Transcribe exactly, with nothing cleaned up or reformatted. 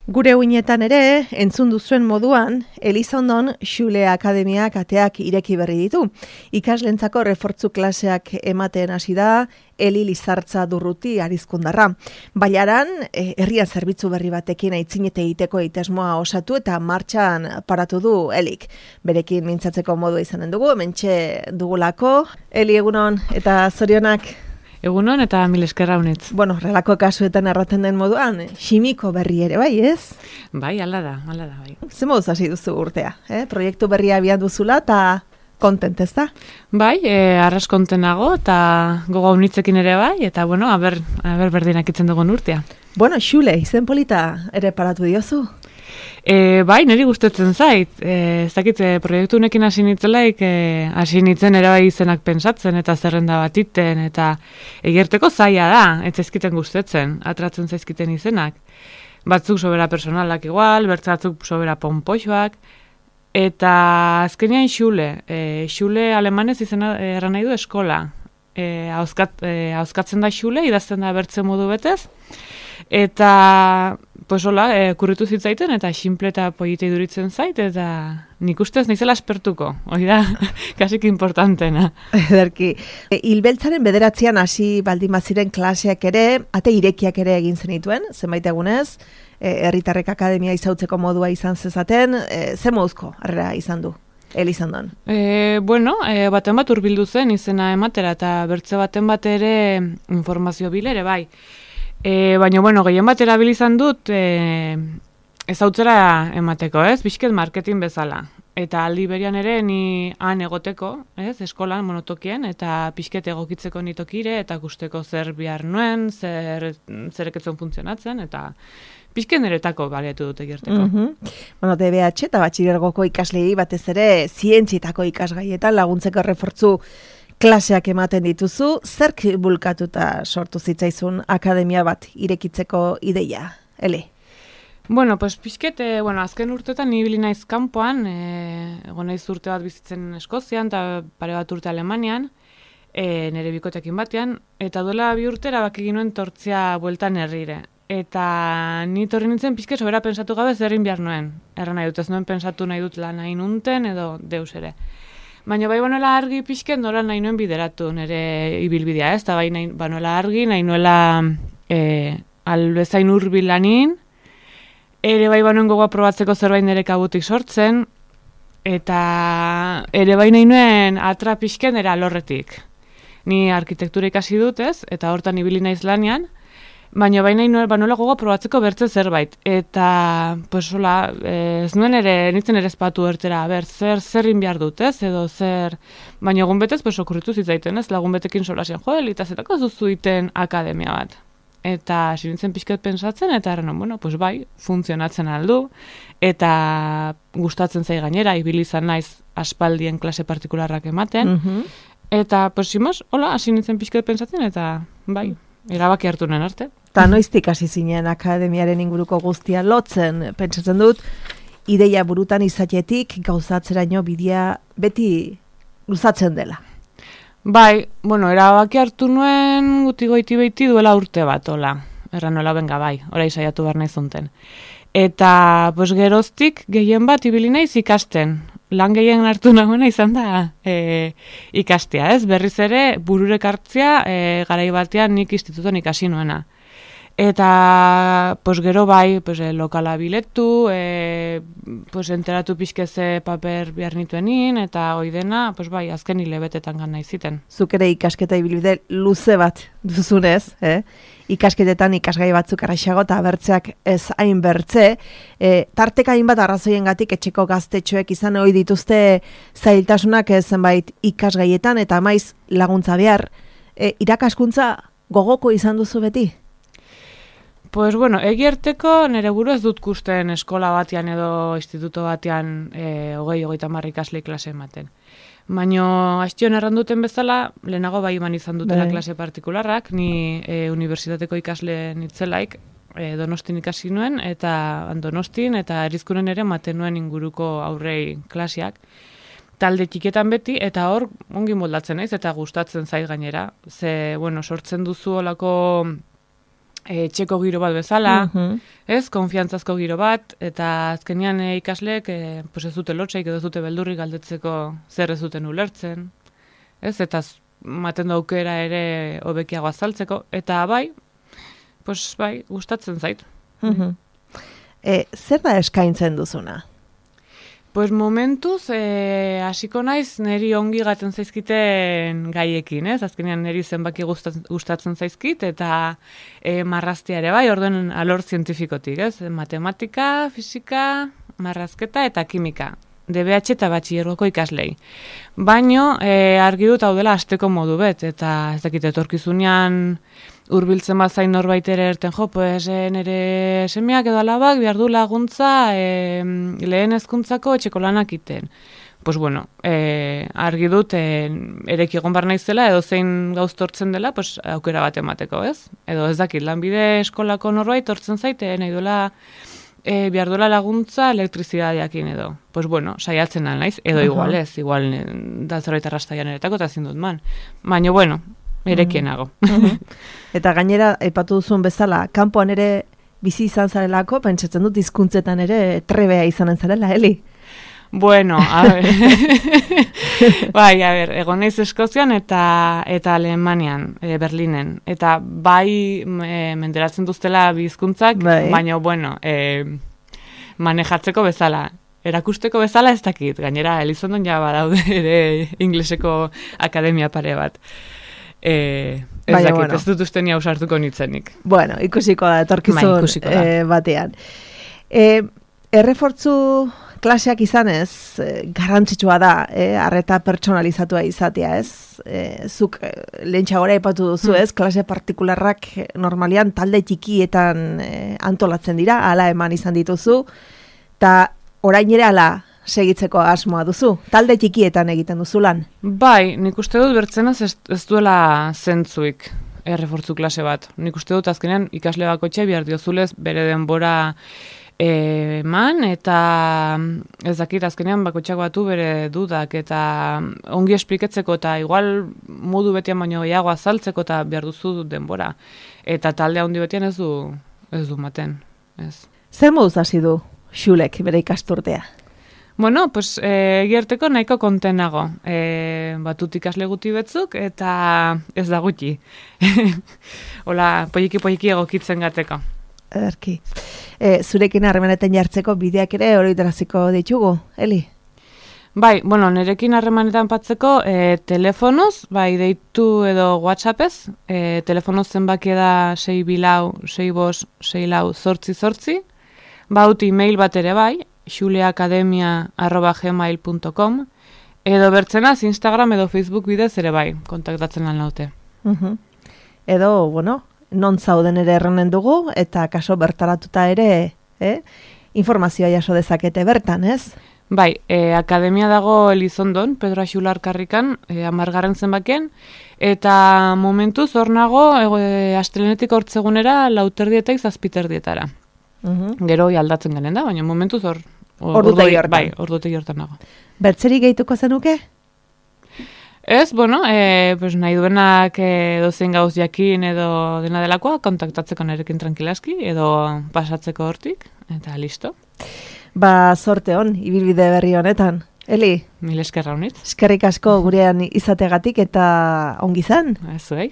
Gure uinetan ere, entzun duzuen moduan, Elizondon Xule Akademiak ateak ireki berri ditu. Ikaslentzako refortzu klaseak ematen hasi da, Eli Lizartza Durruti Arizkundarra. Baiaran, herrian zerbitzu berri batekin aitzinete egiteko egitasmoa osatu eta martxan paratu du Elik. Berekin mintzatzeko modua izanen dugu, hementxe dugulako. Eli, egunon eta zorionak. Egunon eta mil eskerra honetz. Bueno, relako kasuetan erraten den moduan, ximiko berri ere, bai, ez? Bai, ala da, ala da, bai. Ze moduz hasi duzu urtea, eh? Proiektu berria abian duzula eta kontent, ez da? Bai, e, arras kontenago eta gogo unitzekin ere bai, eta bueno, aber, aber berdinak itzen dugun urtea. Bueno, Xule, izen polita ere paratu diozu? E, bai, niri gustatzen zait. E, ez dakit, e, proiektu honekin hasi nitzelaik, e, hasi nitzen ere bai izenak pensatzen eta zerrenda bat iten, eta egerteko zaila da, ez zaizkiten gustatzen, atratzen zaizkiten izenak. Batzuk sobera personalak igual, bertzatzuk sobera pompoxoak, eta azkenean Xule, e, Xule alemanez izena erran nahi du eskola. E, hauzkat, e, hauzkatzen da Xule, idazten da bertze modu betez, eta pues hola, e, kurritu zitzaiten eta xinple eta polite iduritzen zait, eta nik ustez naizela espertuko, hori da, kasik importantena. Ederki. E, Hilbeltzaren bederatzean hasi baldin baziren klaseak ere, ate irekiak ere egin zenituen, zenbait egunez, e, herritarrek akademia izautzeko modua izan zezaten, e, ze moduzko harrera izan du? Elizondon. E, bueno, e, baten bat hurbildu zen izena ematera, eta bertze baten bat ere informazio bilere, bai. E, baina, bueno, gehien bat erabil izan dut e, ezautzera emateko, ez? Bizket marketing bezala. Eta aldi berian ere ni han egoteko, ez? Eskolan, monotokien, eta pixket egokitzeko nitokire, eta gusteko zer bihar nuen, zer, zereketzen funtzionatzen, eta pixken eretako baliatu dute gerteko. Mm -hmm. Bueno, D B H eta batxilergoko ikaslei batez ere zientzietako ikasgaietan laguntzeko refortzu klaseak ematen dituzu. Zerk bulkatuta sortu zitzaizun akademia bat irekitzeko ideia, Ele? Bueno, pues pixket, eh, bueno, azken urteetan ibili naiz kanpoan, eh, egon naiz urte bat bizitzen Eskozian eta pare bat urte Alemanian, eh, nire bikotekin batean, eta duela bi urtera bakegin nuen tortzia bueltan herrire. Eta ni torri nintzen pixke sobera pensatu gabe zer egin behar nuen. Erra nahi dut, ez nuen pensatu nahi dut lan nahi nunten edo deus ere. Baina bai banoela argi pixke nola nahi nuen bideratu nire ibilbidea, ez? Eta bai nahi banoela argi, nahi nuela e, albezain hurbil lanin, ere bai banuen gogoa probatzeko zerbait nire kabutik sortzen, eta ere bai nahi nuen atra pixken nire alorretik. Ni arkitektura ikasi dut, ez? Eta hortan ibili naiz lanean, baina baina banola gogo probatzeko bertze zerbait. Eta, pues, hola, ez nuen ere, nintzen ere espatu ertera, ber, zer, zerrin behar dut, ez, edo zer, baina egun betez, pues, okurritu zitzaiten, ez, lagun betekin solasen, jo, elitazetako zuzuiten akademia bat. Eta, sinintzen pixket pensatzen, eta errenon, bueno, pues, bai, funtzionatzen aldu, eta gustatzen zai gainera, ibili izan naiz aspaldien klase partikularrak ematen, mm-hmm. Eta, pues, simos, hola, hasi nintzen pixket pensatzen, eta, bai, erabaki hartu nuen arte. Eta noiztik hasi zinen akademiaren inguruko guztia lotzen, pentsatzen dut, ideia burutan izatetik gauzatzeraino bidea beti luzatzen dela. Bai, bueno, erabaki hartu nuen guti goiti beiti duela urte bat, hola. Erra nola benga, bai, orai saiatu behar nahi zunten. Eta, pues, geroztik gehien bat ibili naiz ikasten. Lan gehien hartu nagoena izan da e, ikastea, ez? Berriz ere, bururek hartzea, e, garai batean nik instituton ikasi nuena. Eta, pues, gero bai, pues, e, lokala biletu, e, pues, enteratu pixkeze paper behar nituenin, eta hoi dena, pues, bai, azken hilebetetan gana iziten. Zuk ere ikasketa ibilbide luze bat duzunez, eh? Ikasketetan ikasgai batzuk arraixago eta bertzeak ez hain bertze. E, tarteka hainbat arrazoiengatik etxeko gaztetxoek izan ohi dituzte zailtasunak zenbait ikasgaietan eta maiz laguntza behar. E, irakaskuntza gogoko izan duzu beti? Pues bueno, egierteko nire buru ez dut kusten eskola batean edo instituto batean e, hogei, hogeita marri ikasle klase ematen. Baina, hastion erranduten bezala, lehenago bai eman izan dutela Bye. klase partikularrak, ni e, unibertsitateko ikasle nitzelaik, e, Donostin ikasi nuen, eta Donostin, eta Erizkunen ere maten nuen inguruko aurrei klasiak. Talde txiketan beti, eta hor ongi moldatzen naiz, eta gustatzen zait gainera. Ze, bueno, sortzen duzu olako etxeko giro bat bezala, Mhm. ez, konfiantzazko giro bat, eta azkenean e, ikasleek e, pues ez dute lotxaik edo ez dute beldurri galdetzeko zer ez duten ulertzen, ez, eta z- maten du aukera ere hobekiago azaltzeko, eta bai, pues bai, gustatzen zait. Mhm. E, zer da eskaintzen duzuna? Pues momentuz, eh, hasiko naiz niri ongi gaten zaizkiten gaiekin, ez? Azkenean niri zenbaki gustatzen, gustatzen zaizkit, eta eh, marraztia ere bai, orduen alor zientifikotik, ez? Matematika, fisika, marrazketa eta kimika. D B H eta batxilergoko ikaslei. Baino, eh, argi dut hau dela asteko modu bet, eta ez dakit etorkizunean hurbiltzen bazain norbait ere erten jo, pues eh, nire semeak edo alabak behar du laguntza eh, lehen hezkuntzako etxeko lanak iten. Pues bueno, eh, argi dut eh, ereki egon bar naizela edo zein gauz tortzen dela, pues aukera bat emateko, ez? Edo ez dakit, lanbide eskolako norbait tortzen zaite, nahi duela e, behar duela laguntza elektrizidadeakin edo. Pues bueno, saiatzen al naiz, edo igual ez, igual eh, da zerbait arrastaian eretako eta ezin dut man. Baina bueno, erekienago. Eta gainera, aipatu duzun bezala, kanpoan ere bizi izan zarelako, pentsatzen dut hizkuntzetan ere trebea izanen zarela, Eli? Bueno, a ver. Bai, a ver, egon naiz Eskozian eta eta Alemanian, e, Berlinen. Eta bai e, menderatzen duztela bi hizkuntzak, bai. Baina bueno, e, manejatzeko bezala. Erakusteko bezala ez dakit. Gainera, Elizondon ja badaude ere ingleseko akademia pare bat. E, ez Baina, dakit, bueno. ez dut uste ni ausartuko nitzenik. Bueno, ikusiko da, etorkizun Bai, ikusiko da. eh, batean. E, errefortzu klaseak izanez, eh, garrantzitsua da, eh, arreta pertsonalizatua izatea, ez? Eh, zuk eh, lehentxagora aipatu duzu, ez? Klase partikularrak eh, normalian talde txikietan eh, antolatzen dira, hala eman izan dituzu, eta orain ere hala segitzeko asmoa duzu, talde txikietan egiten duzu lan. Bai, nik uste dut bertzenaz ez, ez duela zentzuik errefortzu klase bat. Nik uste dut azkenean ikasle bakoitxe behar diozulez bere denbora eman, eta ez dakit azkenean bakoitzak batu bere dudak, eta ongi espliketzeko, eta igual modu betian baino gehiago azaltzeko, eta behar duzu denbora. Eta talde handi betian ez du, ez du maten. Ez. Zer moduz hasi du Xulek bere ikasturtea? Bueno, pues eh, gerteko nahiko kontenago. Eh, batut ikasle guti betzuk, eta ez da gutxi. Hola, poiki-poiki egokitzen gateko. Ederki. E, zurekin harremanetan jartzeko bideak ere oroitaraziko ditugu, Eli? Bai, bueno, nerekin harremanetan patzeko e, telefonoz, bai, deitu edo WhatsAppez, e, telefonoz zenbaki da sei bilau, sei bos, sei lau, zortzi zortzi, baut e-mail bat ere bai, xuleakademia arroba gmail punto com, edo bertzenaz Instagram edo Facebook bidez ere bai, kontaktatzen lan naute. Uh-huh. Edo, bueno, non zauden ere erranen dugu, eta kaso bertaratuta ere, eh? informazioa jaso dezakete bertan, ez? Bai, e, akademia dago Elizondon, Pedro Axular karrikan, e, amargarren zenbakien, eta momentuz hor nago, e, astelenetik hortzegunera, lauterdietaik zazpiterdietara. Uh-huh. Gero aldatzen garen da, baina momentuz hor... Ordutegi hortan. Bai, ordutegi hortan nago. Bertzerik gehituko zenuke? Ez, bueno, e, pues nahi duenak e, dozein gauz jakin edo dena delakoa, kontaktatzeko nerekin tranquilaski, edo pasatzeko hortik, eta listo. Ba, sorte hon, ibilbide berri honetan. Eli, Mil eskerra honit. eskerrik asko gurean izategatik eta ongi zan. Ez zuei.